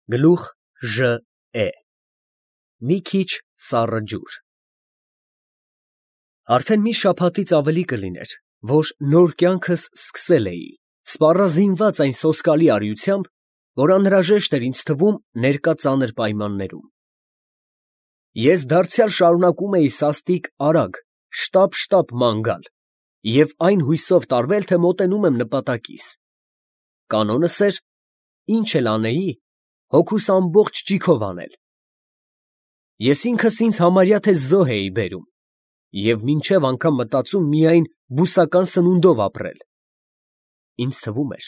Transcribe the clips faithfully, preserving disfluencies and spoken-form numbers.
Գլուխ Ժ Է Մի քիչ սառը ջուր։ Արդեն մի շաբաթից ավելի կլիներ, որ նոր կյանքս սկսել էի, սպառազինված այն սոսկալի արիությամբ, որ անհրաժեշտ էր ինձ թվում ներկա ծանր պայմաններում։ Ես դարձյալ շարունակում էի սաստիկ արագ, շտապ֊շտապ ման գալ և այն հույսով տարվել, թե մոտենում եմ նպատակիս։ Կանոնս էր, ինչ էլ անեի, հոգուս ամբողջ ճիգով անել։ Ես ինքս ինձ համարյա թե զոհ էի բերում և մինչև անգամ մտածում միայն բուսական սնունդով ապրել։ Ինձ թվում էր,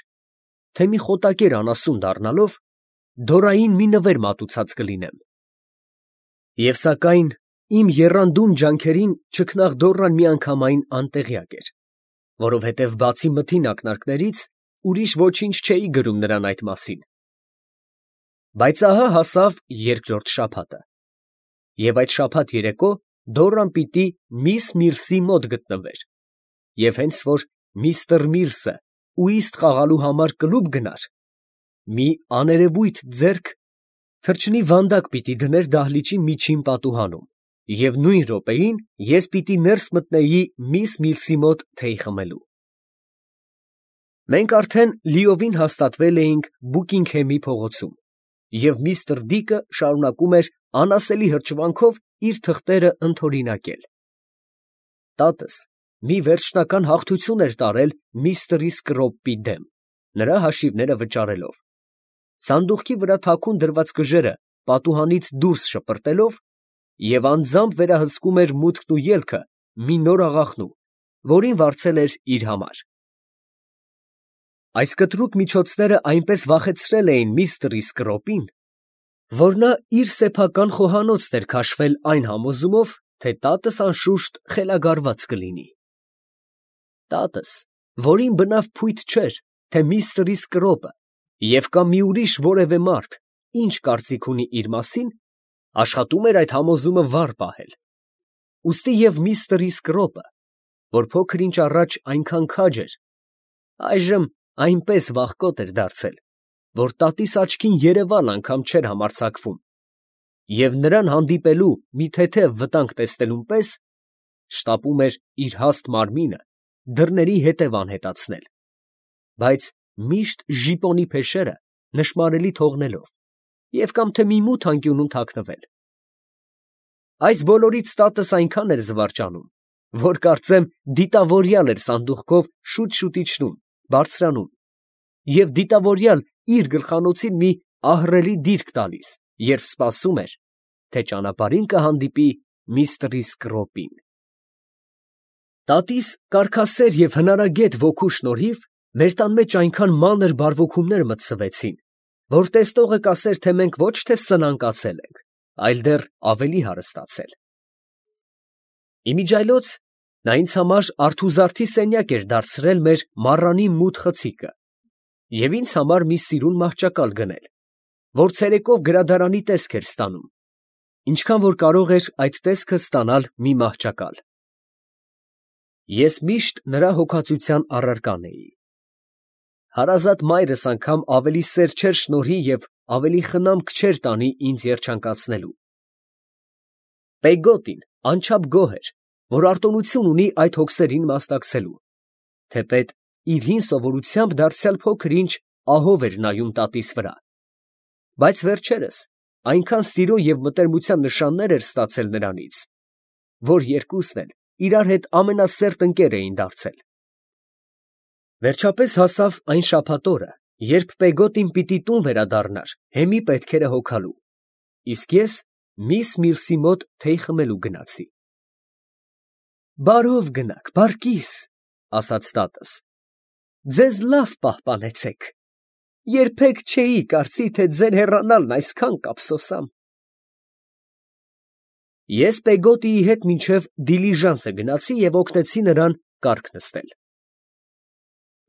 թե մի խոտակեր անասուն դառնալով, դորային մի նվեր մատուցած կլինեմ։ Եվ սակայն իմ եռանդուն ջանքերին չքնաղդոռան միանգամայն անտեղյակ էր, որովհետև բացի մթին ակնարկներից, ուրիշ ոչինչ չէի գրում նրան այդ մասին։ Բայց ահա հասավ երկրորդ շաբաթը, և այդ շաբաթ երեկո Դոռան պիտի միս Միրսի մոտ գտնվեր, և հենց որ միստր Միրսը ուիստ խաղալու համար կլուբ գնար, մի աներևույթ ձեռք թռչնի վանդակ պիտի դներ դահլիճի միջին պատուհանում, և նույն րոպեին ես պիտի ներս մտնեի միս Միրսի մոտ թեյ խմելու։ Մենք արդեն լիովին հաստատվել էինք Բուքինգհեմի փողոցում, և միստր Դիկը շարունակում էր անասելի հրճվանքով իր թղթերը ընդօրինակել։ Տատս մի վերջնական հաղթություն էր տարել միստր Սկրոպի դեմ, նրա հաշիվները վճարելով, սանդուղքի վրա թաքուն դրված կժերը պատուհանից դուրս շպրտելով և անձամբ վերահսկում էր մուտքն ու ելքը մի նոր աղախնու, որին վարձել էր իր համար։ Այս կտրուկ միջոցները այնպես վախեցրել էին միստր Սկրոպին, որ նա իր սեփական խոհանոցն էր քաշվել այն համոզումով, թե տատս անշուշտ խելագարված կլինի։ Տատս, որին բնավ փույթ չէր, թե միստր Սկրոպը և կամ մի ուրիշ որևէ մարդ ինչ կարծիք ունի իր մասին, աշխատում էր այդ համոզումը վառ պահել։ Ուստի և միստր Սկրոպը, որ փոքր ինչ առաջ այնքան քաջ էր, այժմ այնպես վախկոտ էր դարձել, որ տատիս աչքին երևալ անգամ չէր համարձակվում, և նրան հանդիպելու մի թեթև վտանգ տեսնելուն պես շտապում էր իր հաստ մարմինը դռների հետև անհետացնել, բայց միշտ ժիպոնի փեշերը նշմարելի թողնելով և կամ թե մի մութ անկյունում թաքնվել։ Այս բոլորից տատս այնքան էր զվարճանում, որ կարծեմ դիտավորյալ էր սանդուղքով շուտ֊շուտ իջնում, բարձրանում, և դիտավորյալ իր գլխանոցին մի ահռելի դիրք տալիս, երբ սպասում էր, թե ճանապարհին կհանդիպի միստր Սկրոպին։ Տատիս կարգասեր և հնարագետ ոգու շնորհիվ մեր տան մեջ այնքան մանր բարվոքումներ մտսվեցին, որ տեսնողը կասեր, թե մենք ոչ թե սնանկացել ենք, այլ դեռ ավելի հարստացել։ Իմիջիայլոց նա ինձ համար արթուզարդի սենյակ էր դարձրել մեր մառանի մութ խցիկը և ինձ համար մի սիրուն մահճակալ գնել, որ ցերեկով գրադարանի տեսք էր ստանում, ինչքան որ կարող էր այդ տեսքը ստանալ մի մահճակալ։ Ես միշտ նրա հոգածության առարկան էի։ Հարազատ մայրս անգամ ավելի սեր չէր շնորհի և ավելի խնամք չէր տանի ինձ երջանկացնելու։ Պեգոտին անչափ գոհ էր, որ արտոնություն ունի այդ հոգսերին մասնակցելու, թեպետ իր հին սովորությամբ դարձյալ փոքր ինչ ահով էր նայում տատիս վրա, բայց վերջերս այնքան սիրո և մտերմության նշաններ էր ստացել նրանից, որ երկուսն էլ իրար հետ ամենասերտ ընկեր էին դարձել։ Վերջապես հասավ այն շաբաթ օրը, երբ Պեգոտին պիտի տուն վերադառնար հեմի պետքերը հոգալու, իսկ ես միս Միրսի մոտ թեյ խմելու գնացի։ «Բարով գնաք, բարկիս, ֊ ասաց տատս, ֊ ձեզ լավ պահպանեցեք, երբեք չէի կարծի, թե ձեր հեռանալն այսքան կափսոսամ»։ Ես Պեգոտիի հետ մինչև դիլիժանսը գնացի և օգնեցի նրան կառք նստել։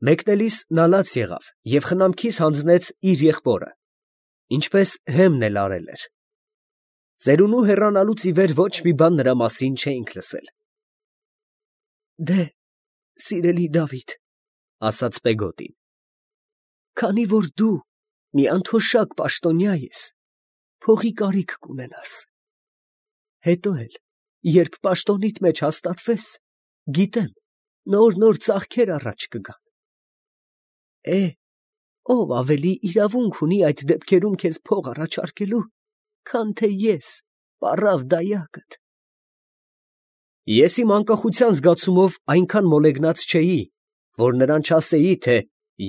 Մեկնելիս նա լաց եղավ և խնամքիս հանձնեց իր եղբորը, ինչպես Հեմն էլ արել էր։ Ծերունու հեռանալուց ի վեր ոչ մի բան նրա մասին չէինք լսել։ «Դե, սիրելի Դավիթ, ֊ ասաց Պեգոտին, ֊ քանի որ դու մի անթոշակ պաշտոնյա ես, փողի կարիք կունենաս։ Հետո էլ, երբ պաշտոնիդ մեջ հաստատվես, գիտեմ, նոր-նոր ծախքեր առաջ կգան։ Է, ով ավելի իրավունք ունի այդ դեպքերում քեզ փող առաջարկելու, քան թե ես, պառավ դայակդ։ Ես իմ անկախության զգացումով այնքան մոլեգնած չէի, որ նրան չասեի, թե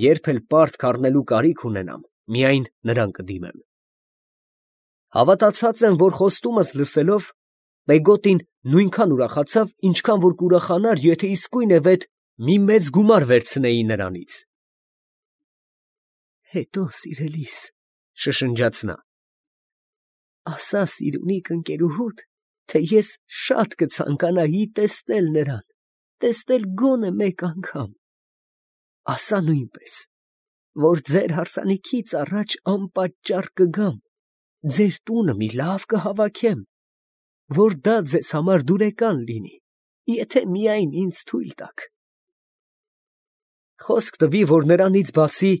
երբ էլ պարտք առնելու կարիք ունենամ, միայն նրան կդիմեմ։ Հավատացած եմ, որ խոստումս լսելով, Պեգոտին նույնքան ուրախացավ, ինչքան որ կուրախանար, եթե իսկույնևեթ մի մեծ գումար վերցնեի նրանից։ Հետո, սիրելիս, շշնջաց նա, ասա սիրունիկ ընկերուհուդ, թե ես շատ կցանկանայի տեսնել նրան, տեսնել գոնե մեկ անգամ։ Ասա նույնպես, որ ձեր հարսանիքից առաջ անպատճառ կգամ, ձեր տունը մի լավ կհավաքեմ, որ դա ձեզ համար դուրեկան լինի, եթե միայն ինձ թույլ տաք։ Խոսք տվի, որ նրանից բացի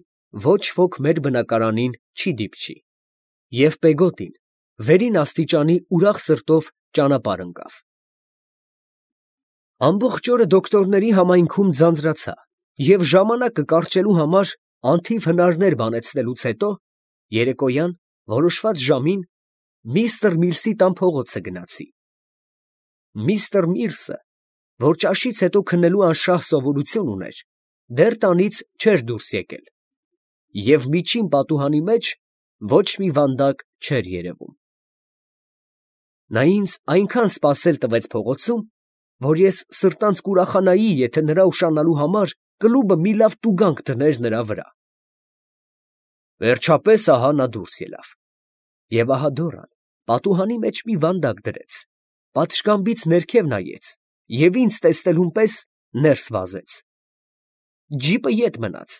ոչ ոք մեր բնակարանին չի դիպչի, և Պեգոտին վերին աստիճանի ուրախ սրտով ճանապարհ ընկավ։ Ամբողջ օրը դոկտորների համայնքում ձանձրացա, և ժամանակը կարճելու համար անթիվ հնարներ բանեցնելուց հետո, երեկոյան որոշված ժամին միստր Միլսի տան փողոցը գնացի։ Միստր Միրսը, որ ճաշից հետո քննելու անշահ սովորություն ուներ, դեռ տանից չէր դուրս եկել, և միջին պատուհանի մեջ ոչ մի վանդակ չէր երևում։ Նա ինձ այնքան սպասել տվեց փողոցում, որ ես սրտանց կուրախանայի, եթե նրա ուշանալու համար կլուբը մի լավ տուգանք դներ նրա վրա։ Վերջապես ահա նա դուրս ելավ, և ահա Դորան պատուհանի մեջ մի վանդակ դրեց, պատշգամբից ներքև նայեց և ինձ տեսնելուն պես ներս վազեց։ Ջիպը ետ մնաց,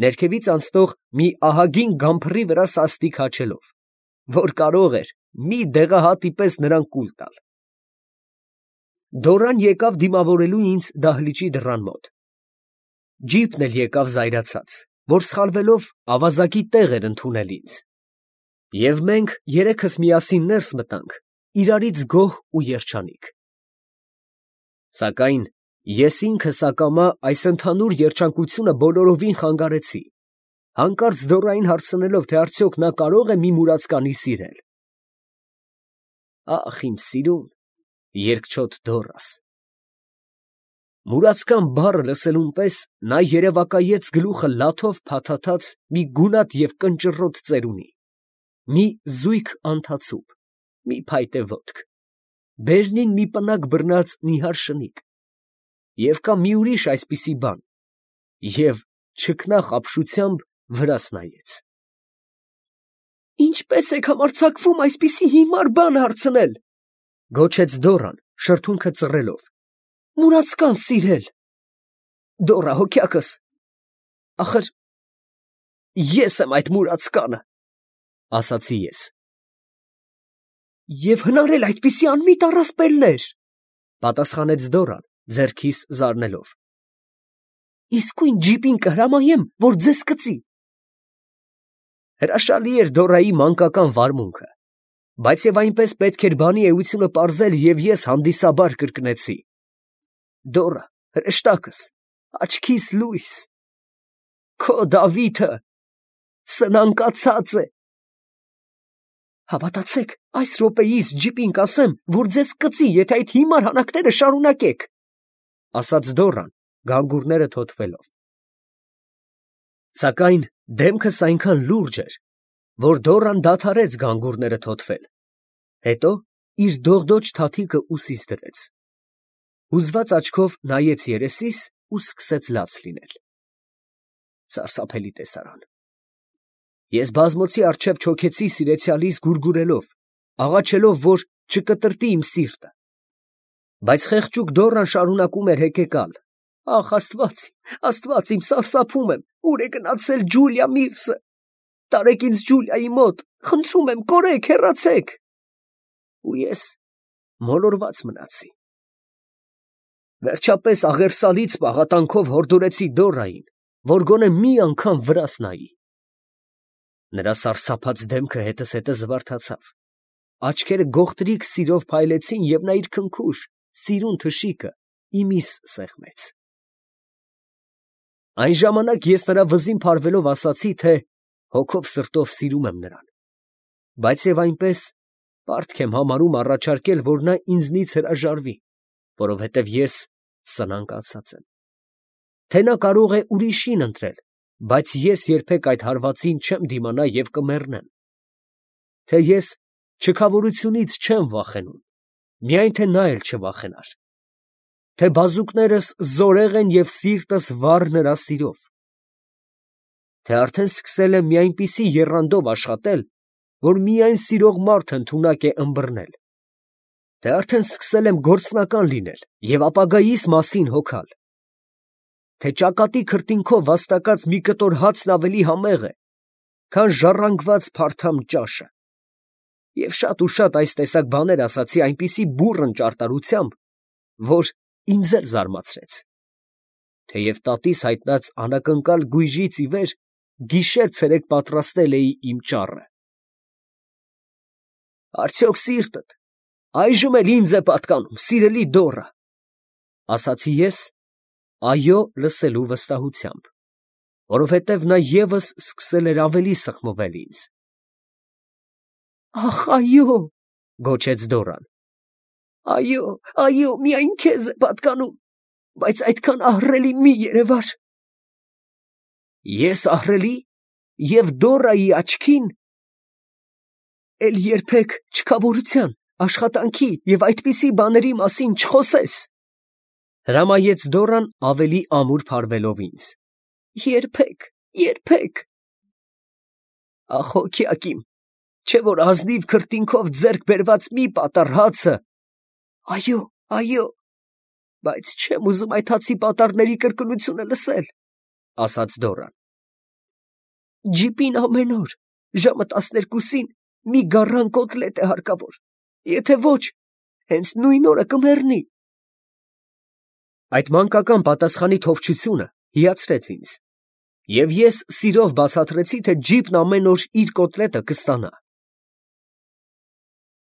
ներքևից անցնող մի ահագին գամփռի վրա սաստիկ հաչելով, որ կարող էր մի դեղահատի պես նրան կուլ տալ։ Դորան եկավ դիմավորելու ինձ դահլիճի դռան մոտ։ Ջիպն էլ եկավ զայրացած, որ սխալվելով ավազակի տեղ էր ընդունել ինձ, և մենք երեքս միասին ներս մտանք, իրարից գոհ ու երջանիկ։ Սակայն ես ինքս ակամա այս ընդհանուր երջանկությունը բոլորովին խանգարեցի, հանկարծ Դորային հարցնելով, թե արդյոք նա կարո՞ղ է մի մուրացկանի սիրել։ Ա՜խ, իմ սիրուն, երկչոտ Դոռաս։ Մուրացկան բառը լսելուն պես նա երևակայեց գլուխը լաթով փաթաթած մի գունատ և կնճռոտ ծերունի, մի զույգ անթացուկ, մի փայտե ոտք, բերնին մի պնակ բռնած նիհար շնիկ, և կա մի ուրիշ այսպիսի բան, և չքնաղ ապշությամբ վրաս նայեց։ Ինչպե՞ս եք համարձակվում այսպիսի հիմար բան հարցնել, ֊ գոչեց Դորան, շրթունքը ծռելով, ֊ մուրացկան սիրել։ Դոռա հոգյակս, ախր ես եմ այդ մուրացկանը, ֊ ասացի ես։ Եվ հնարել այդպիսի անմիտ առասպելներ, ֊ պատասխանեց Դորան, ձեռքիս զարնելով։ Իսկույն ջիպին կհրամայեմ, որ ձեզ կծի։ Հրաշալի էր Դորայի մանկական վարմունքը, բայց և այնպես պետք էր բանի էությունը պարզել, և ես հանդիսաբար կրկնեցի. Դոռա, հրեշտակս, աչքիս լույս, քո Դավիթը սնանկացած է։ Հավատացեք, այս րոպեիս ջիպին կասեմ, որ ձեզ կծի, եթե այդ հիմար հանակները շարունակեք, ֊ ասաց Դորան, գանգուրները թոթվելով։ Սակայն դեմքս այնքան լուրջ էր, որ Դորան դադարեց գանգուրները թոթվել, հետո իր դողդոջ թաթիկը ուսիս դրեց, հուզված աչքով նայեց երեսիս ու սկսեց լաց լինել։ Սարսափելի տեսարան։ Ես բազմոցի առջև չոքեցի սիրեցյալիս գուրգուրելով, աղաչելով, որ չկտրտի իմ սիրտը, բայց խեղճուկ Դորան շարունակում էր հեկեկալ. Ախ, Աստված, Աստված իմ, սարսափում եմ, ուր է գնացել Ջուլիա Միրսը, տարեք ինձ Ջուլիայի մոտ, խնդրում եմ, կորեք, հեռացեք։ Ու ես մոլորված մնացի։ Վերջապես աղերսալից պաղատանքով հորդորեցի Դորային, որ գոնե մի անգամ վրաս նայի։ Նրա սարսափած դեմքը հետս հետը զվարթացավ, աչքերը գողտրիկ սիրով փայլեցին, և նա իր քնքուշ, սիրուն թշիկը իմիս սեղմեց։ Այն ժամանակ ես նրա վզին փարվելով ասացի, թե հոգով սրտով սիրում եմ նրան, բայց և այնպես պարտք եմ համարում առաջարկել, որ նա ինձնից հրաժարվի, որովհետև ես սնանկացած եմ, թե նա կարող է ուրիշին ընտրել, բայց ես երբեք այդ հարվածին չեմ դիմանա և կմեռնեմ, թե ես չքավորությունից չեմ վախենում, միայն թե նա էլ չվախենար, թե բազուկներս զորեղ են և սիրտս վառ նրա սիրով, թե արդեն սկսել եմ մի այնպիսի եռանդով աշխատել, որ միայն սիրող մարդ ընդունակ է ըմբռնել, թե արդեն սկսել եմ գործնական լինել և ապագայիս մասին հոգալ, թե ճակատի քրտինքով վաստակած մի կտոր հացն ավելի համեղ է, քան ժառանգված փարթամ ճաշը, և շատ ու շատ այս տեսակ բաներ ասացի այնպիսի բուռն ճարտարությամբ, որ ինձ էլ զարմացրեց, թեև տատիս հայտնած անակնկալ գույժից ի վեր գիշեր֊ցերեկ պատրաստել էի իմ ճառը։ «Արդյոք սիրտդ այժմ էլ ինձ է պատկանում, սիրելի դոռը, ֊ ասացի ես, «այո» լսելու վստահությամբ, որովհետև նա ևս սկսել էր ավելի սխմվել ինձ։ ֊ Ա՜խ, այո, ֊ գոչեց Դոռան, ֊ այո, այո, միայն քեզ է պատկանում, բայց այդքան ահռելի մի երևար։ ֊ Ես ահռելի, և Դոռայի աչքին։ ֊ Էլ երբեք չքավորության, աշխատանքի և այդպիսի բաների մասին չխոսես, ֊ հրամայեց Դոռան ավելի ամուր փարվելով ինձ։ ֊ Երբեք, երբեք։ ֊ Ախ, հոգյակ իմ, չէ՞ որ ազնիվ քրտինքով ձեռք բերված մի պատառ հացը… ֊ Այո, այո, բայց չեմ ուզում այդ հացի պատառների կրկնությունը լսել, ֊ ասաց Դոռան։ ֊ Ջիպին ամեն օր ժամը տասներկուսին մի գառան կոտլետ է հարկավոր, եթե ոչ, հենց նույն օրը կմեռնի։ Այդ մանկական պատասխանի թովչությունը հիացրեց ինձ, և ես սիրով բացատրեցի, թե ջիպն ամեն օր իր կոտլետը կստանա։